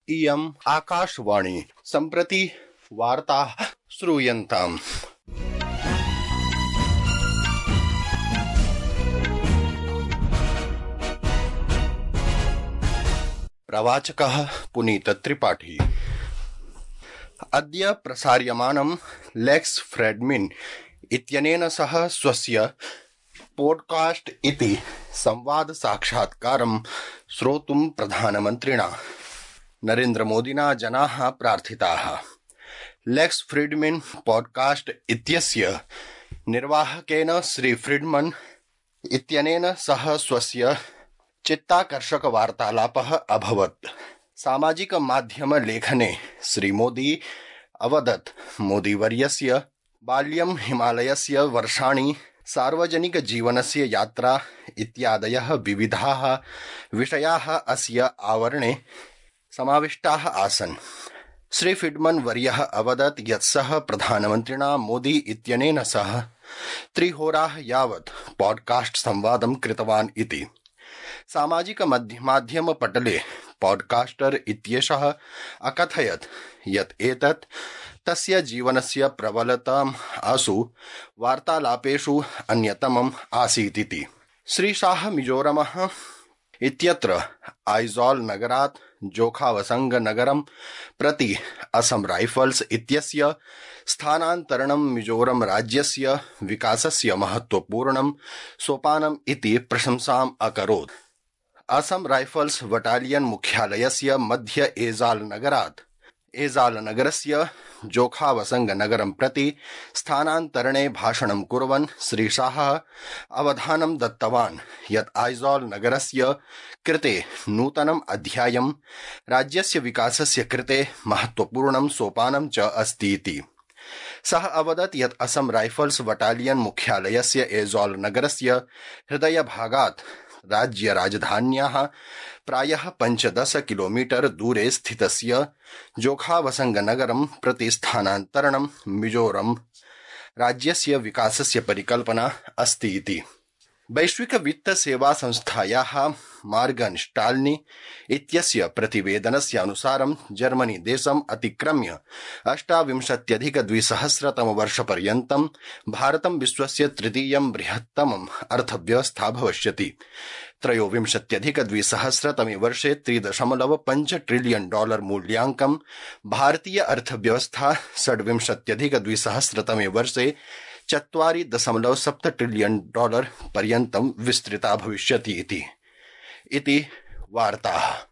इयम् आकाशवाणी सम्प्रति वार्ताः श्रूयन्ताम्। प्रवाचकः पुनीत त्रिपाठी। अद्य प्रसार्यमानं लेक्स फ्रेडमैन इत्यनेन सह स्वस्य पॉडकास्ट इति संवाद साक्षात्कारं श्रोतुं प्रधानमन्त्रिणा नरेन्द्र मोदिना जनाः प्रार्थिताः। लेक्स फ्रीडमैन पॉडकास्ट इत्यस्य निर्वाहकेन श्री फ्रीडमन इत्यनेन सह स्वस्य चित्ताकर्षक वार्तालापः अभवत्। सामाजिक माध्यम लेखने श्री मोदी अवदत् मोदीवर्यस्य बाल्यं हिमालयस्य वर्षाणि सार्वजनिक जीवनस्य यात्रा इत्यादयः विविधाः विषयाः अस्य आवरणे समाविष्टाः आसन्। श्री फ्रीडमन वर्यः अवदत् यत् सः प्रधानमन्त्रिणा मोदी इत्यनेन सह 3 होराः यावत् पॉडकास्ट संवादं कृतवान् इति। सामाजिक माध्यम पटले पॉडकास्टर इत्येषः अकथयत् यत् एतत् तस्य जीवनस्य प्रबलताम् आसु वार्तालापेषु अन्यतमम् आसीत् इति। श्री शाह मिजोरमः इत्यत्र आइजॉल नगरात् जोखावसंग नगरं प्रति असम राइफल्स इत्यस्य स्थानान्तरणं मिजोरम राज्यस्य विकासस्य महत्वपूर्णं सोपानम् इति प्रशंसाम् अकरोत्। असम राइफल्स बटालियन मुख्यालयस्य मध्य एजाल नगरस्य जोखावसंग नगरं प्रति स्थानान्तरणे भाषणं कुर्वन् श्री शाह अवधानं दत्तवान् यत् आइजॉल नगरस्य कृते नूतनम् अध्यायं राज्यस्य विकासस्य कृते महत्वपूर्णं सोपानं च अस्ति इति। सः अवदत् यत् असम राइफल्स बटालियन मुख्यालयस्य एजॉल नगरस्य हृदयभागात् राज्य राजधान्याः प्रायः 15 किलोमीटर दूरे स्थितस्य जोखावसंग नगरं प्रति स्थानान्तरणं मिजोरम राज्यस्य विकासस्य परिकल्पना अस्ति इति। वैश्विक वित्त सेवा संस्थायाः मार्गन स्टाल्नी इत्यस्य प्रतिवेदनस्य अनुसारं जर्मनी देशम् अतिक्रम्य 28,200 वर्षपर्यन्तं भारतं विश्वस्य तृतीयं बृहत्तमम् अर्थव्यवस्था भविष्यति। 23,200 वर्षे $3.5 ट्रिलियन मूल्याङ्कं भारतीय अर्थव्यवस्था 26,200 वर्षे $4.7 ट्रिलियन पर्यन्तं विस्तृता भविष्यति इति वार्ताः।